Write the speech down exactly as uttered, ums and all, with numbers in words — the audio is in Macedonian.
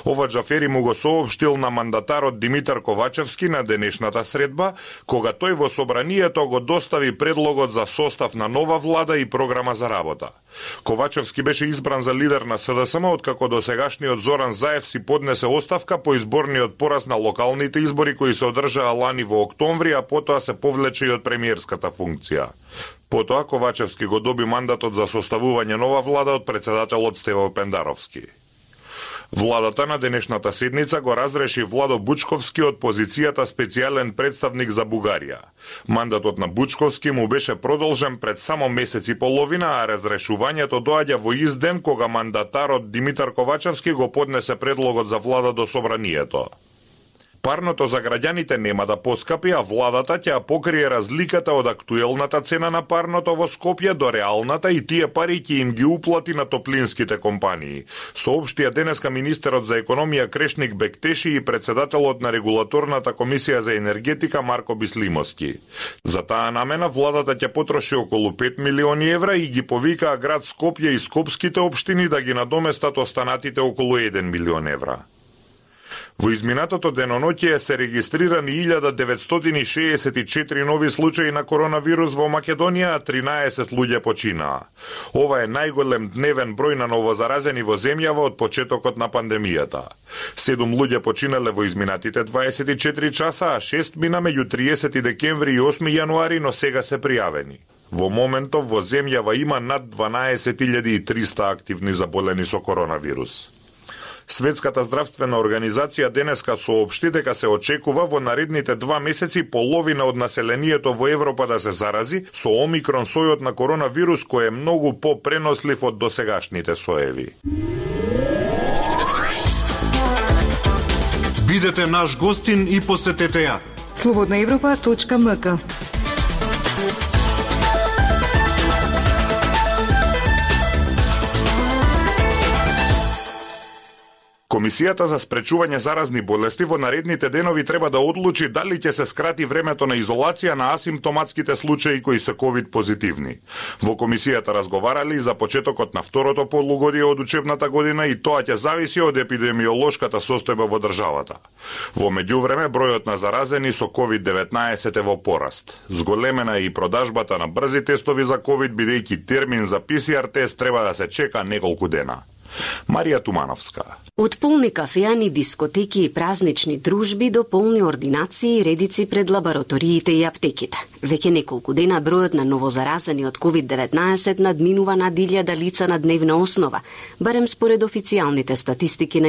Ова Џафери му го соопштил на мандатарот Димитар Ковачевски на денешната средба, кога тој во собранието го достави предлогот за состав на нова влада и програма за работа. Ковачевски беше избран за лидер на СДСМ откако досегашниот Зоран Заев си поднесе оставка по изборниот пораз на локалните избори кои се одржаа лани во октомври, а потоа се повлече и од премиерската функција. Потоа Ковачевски го доби мандатот за составување нова влада од председателот Стево Пендаровски. Владата на денешната седница го разреши Владо Бучковски од позицијата специјален представник за Бугарија. Мандатот на Бучковски му беше продолжен пред само месец и половина, а разрешувањето доаѓа во изден кога мандатарот Димитар Ковачевски го поднесе предлогот за влада до собранието. Парното за граѓаните нема да поскапи, а владата ќе покрие разликата од актуелната цена на парното во Скопје до реалната и тие пари ќе им ги уплати на топлинските компании, соопштија денеска министерот за економија Крешник Бектеши и председателот на регулаторната комисија за енергетика Марко Бислимовски. За таа намена владата ќе потроши околу пет милиони евра и ги повикаа град Скопје и скопските општини да ги надоместат останатите околу еден милион евра. Во изминатото деноноќие се регистрирани илјада деветстотини шеесет и четири нови случаи на коронавирус во Македонија, а тринаесет луѓе починаа. Ова е најголем дневен број на новозаразени во земјава од почетокот на пандемијата. Седум луѓе починале во изминатите дваесет и четири часа, а шест мина меѓу триесети декември и осми јануари, но сега се пријавени. Во моментов во земјава има над дванаесет илјади и триста активни заболени со коронавирус. Светската здравствена организација денеска соопшти дека се очекува во наредните два месеци половина од населението во Европа да се зарази со омикрон сојот на коронавирус кој е многу попренослив од досегашните соеви. Бидете наш гостин и посетете ја слободна европа точка ем ка. Комисијата за спречување заразни болести во наредните денови треба да одлучи дали ќе се скрати времето на изолација на асимптоматските случаи кои се ковид позитивни. Во комисијата разговарали за почетокот на второто полугодие од учебната година и тоа ќе зависи од епидемиолошката состојба во државата. Во меѓувреме бројот на заразени со ковид деветнаесет е во пораст. Зголемена е и продажбата на брзи тестови за ковид, бидејќи термин за пе се ар тест треба да се чека неколку дена. Марија Тумановска. Од полни кафеани, дискотеки и празнични дружби до полни ординации и редици пред лабораториите и аптеките. Веќе неколку дена бројот на новозаразени од ковид деветнаесет надминува над илјада лица на дневна основа, барем според официјалните статистики на